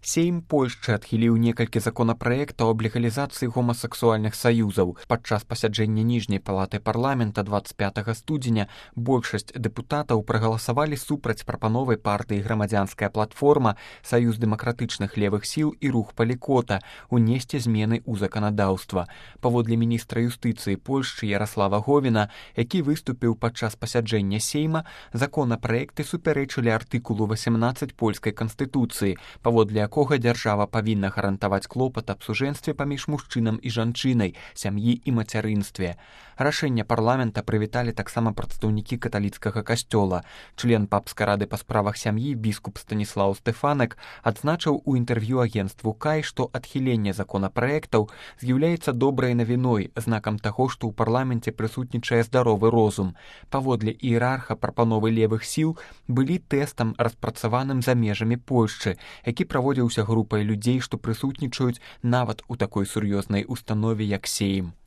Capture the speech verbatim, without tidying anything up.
Сейм Польшчы адхіліў некалькі законапраектаў аб легалізацыі гомасексуальных саюзаў. Падчас пасяджэння ніжняй палаты парламента двадцать пятага студзеня большасць дэпутатаў прагаласавалі супраць прапановай партыі «Грамадзянская платформа», Саюз дэмакратычных левых сіл і рух Палікота унесці змены ў заканадаўства. Паводле міністра юстыцыі Польшчы Яраслава Говіна, які выступіў падчас пасяджэння Сейма, законапраекты супярэчылі артыкулу васемнаццаць польскай канстытуцыі, паводле якога дзяржава павінна гарантаваць клопат аб сужэнстве паміж мужчынам і жанчынай, сям'і і мацярынстве. Рашэнне парламента прывіталі таксама прадстаўнікі каталіцкага касцёла. Член папскай рады па справах сям'і біскуп Станіслаў Стэфанак адзначыў у інтэрв'ю агенцтву Кай, што адхіленне законапраектаў з'яўляецца добрай навіной, знакам таго, што ў парламенце прысутнічае здаровы розум. Паводле іерарха прапановы левых сіл былі тэстам, распрацаваным за межамі Польшчы, які праводзіўся групай людзей, што прысутнічаюць нават у такой сур'ёзнай установе, як Сейм.